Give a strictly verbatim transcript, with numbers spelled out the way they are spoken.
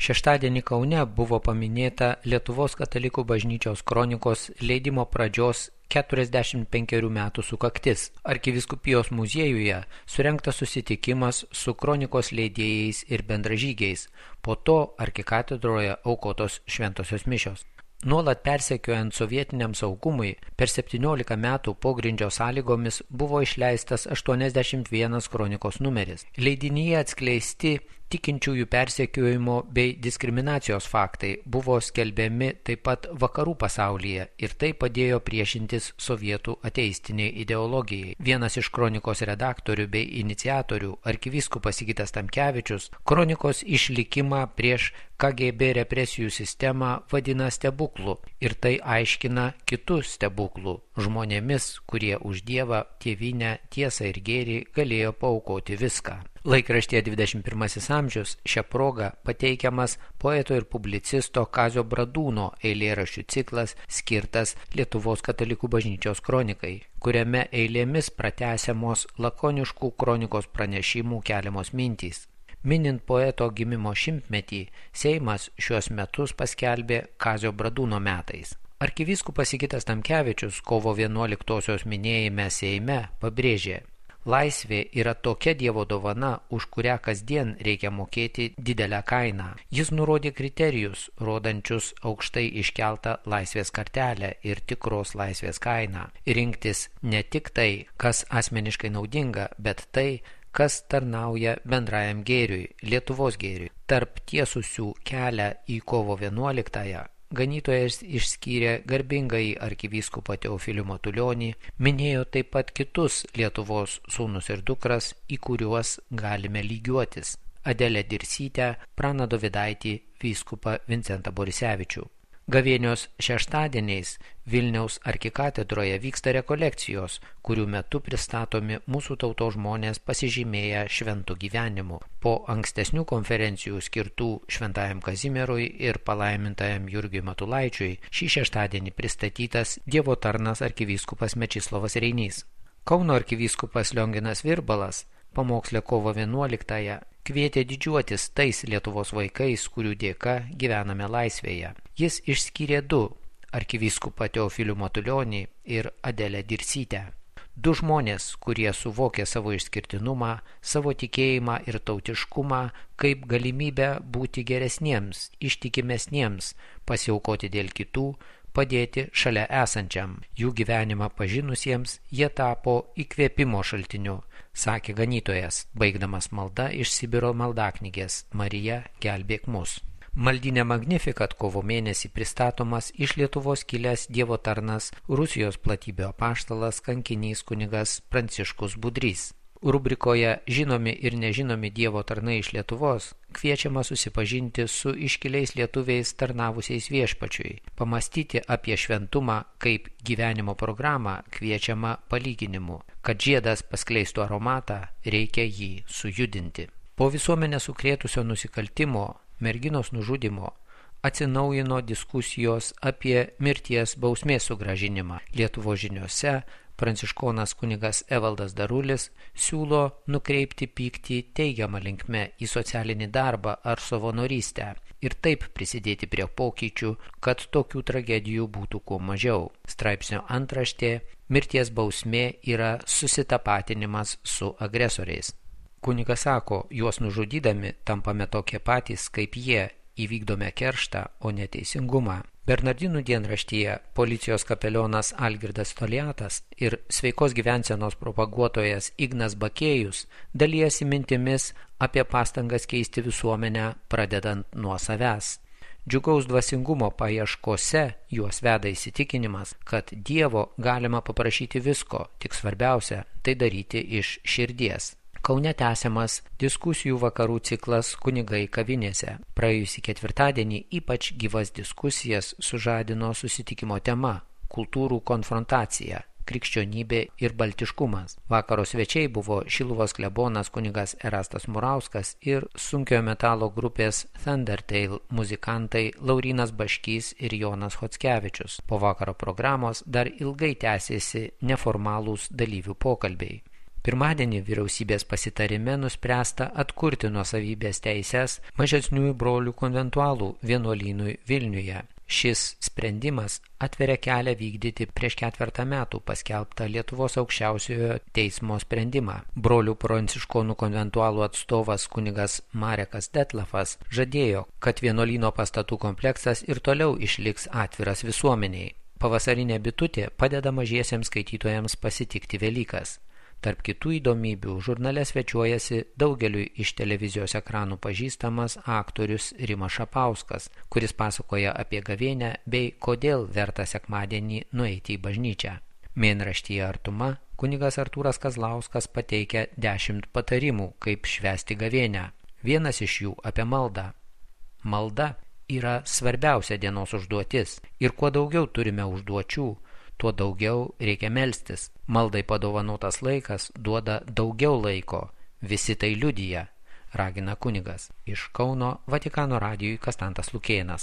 Šeštadienį Kaune buvo paminėta Lietuvos katalikų bažnyčios kronikos leidimo pradžios keturiasdešimt penkerių metų sukaktis. Arkivyskupijos muziejuje surengtas susitikimas su kronikos leidėjais ir bendražygiais, po to arkikatedroje aukotos šventosios mišios. Nuolat persekiojant sovietiniam saugumui, per septyniolika metų pogrindžio sąlygomis buvo išleistas aštuoniasdešimt vienas kronikos numeris. Leidinyje atskleisti tikinčiųjų persekiojimo bei diskriminacijos faktai buvo skelbiami taip pat vakarų pasaulyje ir tai padėjo priešintis sovietų ateistiniai ideologijai. Vienas iš kronikos redaktorių bei iniciatorių, arkivyskupas Sigitas Tamkevičius, kronikos išlikimą prieš K G B represijų sistemą vadina stebuklu ir tai aiškina kitų stebuklų žmonėmis, kurie už Dievą, tėvynę, tiesą ir gėrį galėjo paaukoti viską. Laikraštyje dvidešimt pirmasis amžius šią progą pateikiamas poeto ir publicisto Kazio Bradūno eilėraščių ciklas skirtas Lietuvos katalikų bažnyčios kronikai, kuriame eilėmis pratęsiamos lakoniškų kronikos pranešimų keliamos mintys. Minint poeto gimimo šimtmetį, Seimas šiuos metus paskelbė Kazio Bradūno metais. Arkivyskupas Sigitas Tamkevičius kovo vienuoliktosios minėjime Seime pabrėžė: laisvė yra tokia Dievo dovana, už kurią kasdien reikia mokėti didelę kainą. Jis nurodė kriterijus, rodančius aukštai iškeltą laisvės kartelę ir tikros laisvės kainą. Rinktis ne tik tai, kas asmeniškai naudinga, bet tai, kas tarnauja bendrajam gėriui, Lietuvos gėriui. Tarp tiesusių kelią į kovo vienuoliktąją ganytojas išskyrė garbingąjį arkivyskupą Teofilių Matulionį, minėjo taip pat kitus Lietuvos sūnus ir dukras, į kuriuos galime lygiuotis: Adelę Dirsytę, Praną Dovidaitį, vyskupą Vincentą Borisevičių. Gavėnios šeštadieniais Vilniaus arkikatedroje vyksta rekolekcijos, kurių metu pristatomi mūsų tautos žmonės pasižymėję šventų gyvenimu. Po ankstesnių konferencijų skirtų Šventajam Kazimierui ir palaimintajam Jurgiui Matulaičiui šį šeštadienį pristatytas Dievo tarnas arkivyskupas Mečislovas Reinys. Kauno arkivyskupas Lionginas Virbalas pamoksle kovo vienuoliktąją kvietė didžiuotis tais Lietuvos vaikais, kurių dėka gyvename laisvėje. Jis išskyrė du – arkivyskupą Teofilių Matulionį ir Adelę Dirsytę. Du žmonės, kurie suvokė savo išskirtinumą, savo tikėjimą ir tautiškumą kaip galimybę būti geresniems, ištikimesniems, pasiaukoti dėl kitų, padėti šalia esančiam. Jų gyvenimą pažinusiems jie tapo įkvėpimo šaltiniu, sakė ganytojas, baigdamas maldą iš Sibiro maldaknygės Marija, gelbėk mus. Maldinė Magnificat kovo mėnesį pristatomas iš Lietuvos kilęs Dievo tarnas Rusijos platybių apaštalas kankinys kunigas Pranciškus Budrys. Rubrikoje Žinomi ir nežinomi Dievo tarnai iš Lietuvos kviečiama susipažinti su iškiliais lietuviais tarnavusiais viešpačiui. Pamastyti apie šventumą kaip gyvenimo programą kviečiama palyginimu. Kad žiedas paskleistų aromatą, reikia jį sujudinti. Po visuomenę sukrėtusio nusikaltimo, merginos nužudimo, atsinaujino diskusijos apie mirties bausmės sugrąžinimą. Lietuvos žiniose pranciškonas kunigas Evaldas Darulis siūlo nukreipti pyktį teigiamą linkme į socialinį darbą ar savanorystę ir taip prisidėti prie pokyčių, kad tokių tragedijų būtų kuo mažiau. Straipsnio antraštė: mirties bausmė yra susitapatinimas su agresoriais. Kunigas sako, juos nužudydami tampame tokie patys kaip jie, įvykdome kerštą, o neteisingumą. Bernardinų dienraštyje policijos kapelionas Algirdas Toliatas ir sveikos gyvensenos propaguotojas Ignas Bakėjus dalijasi mintimis apie pastangas keisti visuomenę, pradedant nuo savęs. Džiugaus dvasingumo paieškose juos veda įsitikinimas, kad Dievo galima paprašyti visko, tik svarbiausia tai daryti iš širdies. Kaune tęsiamas diskusijų vakarų ciklas Kunigai kavinėse. Praėjusį ketvirtadienį ypač gyvas diskusijas sužadino susitikimo tema – kultūrų konfrontacija, krikščionybė ir baltiškumas. Vakaro svečiai buvo Šiluvos klebonas kunigas Erastas Murauskas ir sunkiojo metalo grupės Thundertale muzikantai Laurynas Baškys ir Jonas Chockevičius. Po vakaro programos dar ilgai tęsėsi neformalūs dalyvių pokalbiai. Pirmadienį vyriausybės pasitarime nuspręsta atkurti nuosavybės teises mažesniųjų brolių konventualų vienuolynui Vilniuje. Šis sprendimas atveria kelią vykdyti prieš ketvertą metų paskelbtą Lietuvos aukščiausiojo teismo sprendimą. Brolių pranciškonų konventualų atstovas kunigas Marekas Detlefas žadėjo, kad vienuolyno pastatų kompleksas ir toliau išliks atviras visuomeniai. Pavasarinė bitutė padeda mažiesiems skaitytojams pasitikti Velykas. Tarp kitų įdomybių žurnale svečiuojasi daugeliui iš televizijos ekranų pažįstamas aktorius Rimas Šapauskas, kuris pasakoja apie gavėnią bei kodėl verta sekmadienį nueiti į bažnyčią. Mėnraštyje Artuma kunigas Artūras Kazlauskas pateikia dešimt patarimų, kaip švęsti gavėnią. Vienas iš jų apie maldą. Malda yra svarbiausia dienos užduotis ir kuo daugiau turime užduočių, tuo daugiau reikia melstis. Maldai padovanotas laikas duoda daugiau laiko. Visi tai liudija, ragina kunigas. Iš Kauno Vatikano radijui Kastantas Lukėnas.